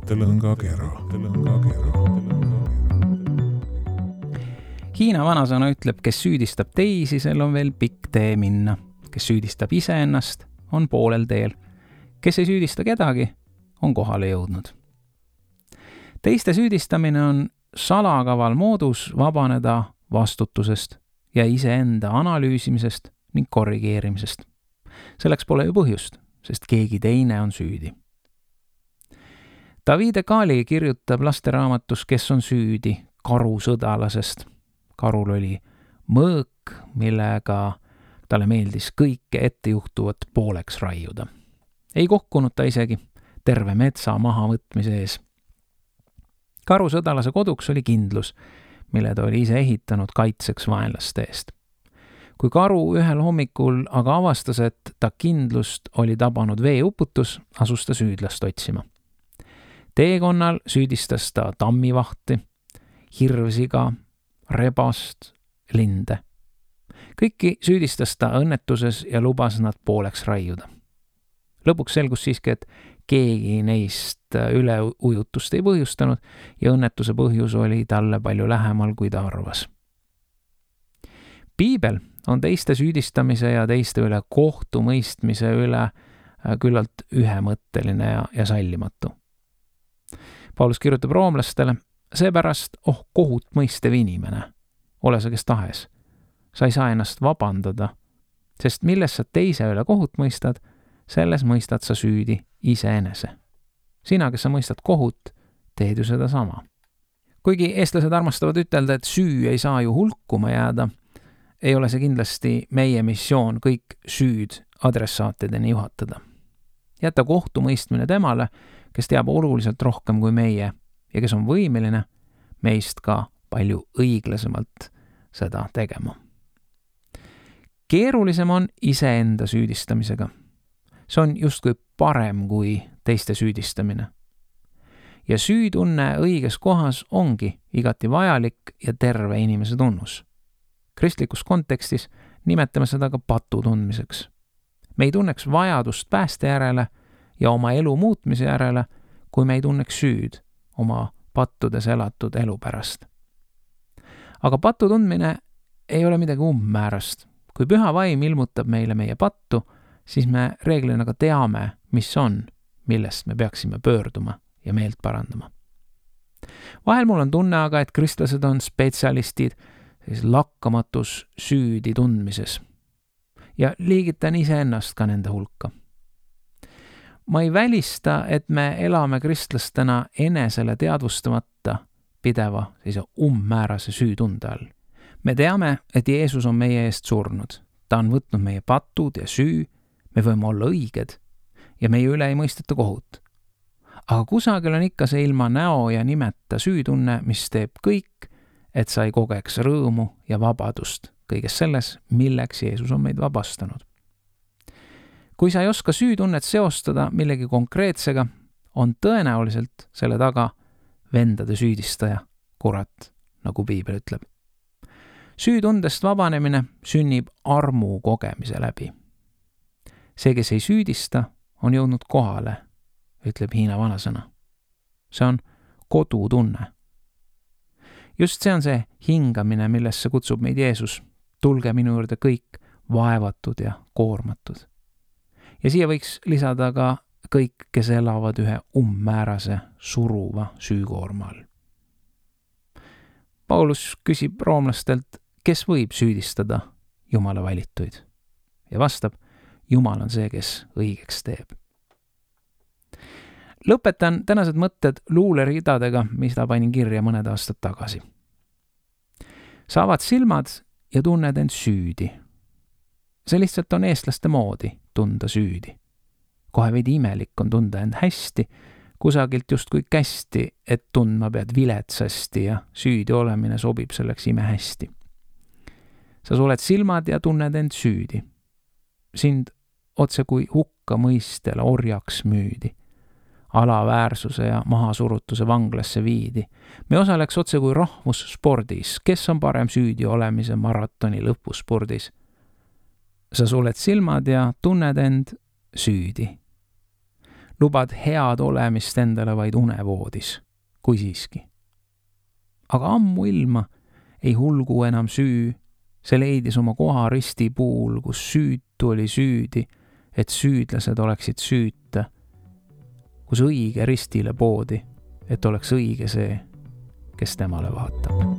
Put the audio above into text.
mõttelõngakera. Hiina vanasõna ütleb, kes süüdistab teisi, sel on veel pikk tee minna. Kes süüdistab iseennast, on poolel teel. Kes ei süüdista kedagi, on kohale jõudnud. Teiste süüdistamine on salakaval moodus vabaneda vastutusest ja iseenda analüüsimisest ning korrigeerimisest. Selleks pole ju põhjust, sest keegi teine on süüdi. Davide Kali kirjutab lasteraamatus Kes on süüdi karusõdalasest. Karul oli mõõk, millega talle meeldis kõike ettejuhtuvat pooleks raiuda. Ei kohkunud ta isegi terve metsa mahavõtmise ees. Karusõdalase koduks oli kindlus, mille ta oli ise ehitanud kaitseks vaenlaste eest. Kui karu ühel hommikul aga avastas, et ta kindlust oli tabanud veeuputus, asus ta süüdlast otsima. Teekonnal süüdistas ta tammivahti, hirvsiga, rebast, linde. Kõiki süüdistas ta õnnetuses ja lubas nad pooleks raiuda. Lõpuks selgus siiski, et keegi neist üleujutust ei põhjustanud ja õnnetuse põhjus oli talle palju lähemal, kui ta arvas. Piibel on teiste süüdistamise ja teiste üle kohtumõistmise üle küllalt ühemõtteline ja sallimatu. Paulus kirjutab roomlastele, seepärast, kohut mõistev inimene, ole sa kes tahes. Sa ei saa ennast vabandada, sest milles sa teise üle kohut mõistad, selles mõistad sa süüdi iseenese. Sina, kes sa mõistad kohut, teed ju seda sama. Kuigi eestlased armastavad ütelda, et süü ei saa ju hulkuma jääda, ei ole see kindlasti meie missioon kõik süüd adressaatideni juhatada. Jäta kohtumõistmine temale, kes teab oluliselt rohkem kui meie ja kes on võimeline meist ka palju õiglasemalt seda tegema. Keerulisem on iseenda süüdistamisega. See on justkui parem kui teiste süüdistamine. Ja süütunne õiges kohas ongi igati vajalik ja terve inimese tunnus. Kristlikus kontekstis nimetame seda ka patu tundmiseks. Me ei tunneks vajadust pääste järele ja oma elu muutmise järele, kui me ei tunneks süüd oma pattudes elatud elu pärast. Aga patu tundmine ei ole midagi umbmäärast. Kui püha vaim ilmutab meile meie pattu, siis me reeglina ka teame, mis on, millest me peaksime pöörduma ja meelt parandama. Vahel mul on tunne aga, et kristlased on spetsialistid lakkamatus süüdi tundmises ja liigitan iseennast ka nende hulka. Ma ei välista, et me elame kristlastena enesele teadvustamata pideva umbmäärase süütunde all. Me teame, et Jeesus on meie eest surnud. Ta on võtnud meie patud ja süü, me võime olla õiged ja meie üle ei mõisteta kohut. Aga kusagil on ikka see ilma näo ja nimeta süütunne, mis teeb kõik, et sa ei kogeks rõõmu ja vabadust kõiges selles, milleks Jeesus on meid vabastanud. Kui sa ei oska süütunnet seostada millegi konkreetsega, on tõenäoliselt selle taga vendade süüdistaja, kurat, nagu Piibel ütleb. Süütundest vabanemine sünnib armu kogemise läbi. See, kes ei süüdista, on jõudnud kohale, ütleb Hiina vanasõna. See on kodutunne. Just see on see hingamine, millesse kutsub meid Jeesus. Tulge minu juurde kõik vaevatud ja koormatud. Ja siia võiks lisada ka kõik, kes elavad ühe umbmäärase suruva süükoorma all. Paulus küsib roomlastelt, kes võib süüdistada Jumala valituid. Ja vastab, Jumal on see, kes õigeks teeb. Lõpetan tänased mõtted luuleridadega, mis ta panin kirja mõned aastad tagasi. Sa avad silmad ja tunned end süüdi. See lihtsalt on eestlaste moodi tunda süüdi. Kohe veidi imelik on tunda end hästi, kusagilt justkui kästi, et tundma pead viletsasti ja süüdi olemine sobib selleks imehästi. Sa suled silmad ja tunned end süüdi. Sind otse kui hukka mõistele orjaks müüdi. Alaväärsuse ja mahasurutuse vanglasse viidi. Me osaleks otse kui rahvusspordis, kes on parem süüdi olemise maratoni lõpuspordis. Sa suled silmad ja tunned end süüdi. lubad head olemist endale vaid unevoodis, kui siiski. Aga ammuilma ei hulgu enam süü, see leidis oma koha risti puul, kus süütu oli süüdi, et süüdlased oleksid süüta, kus õige ristile poodi, et oleks õige see, kes temale vaatab.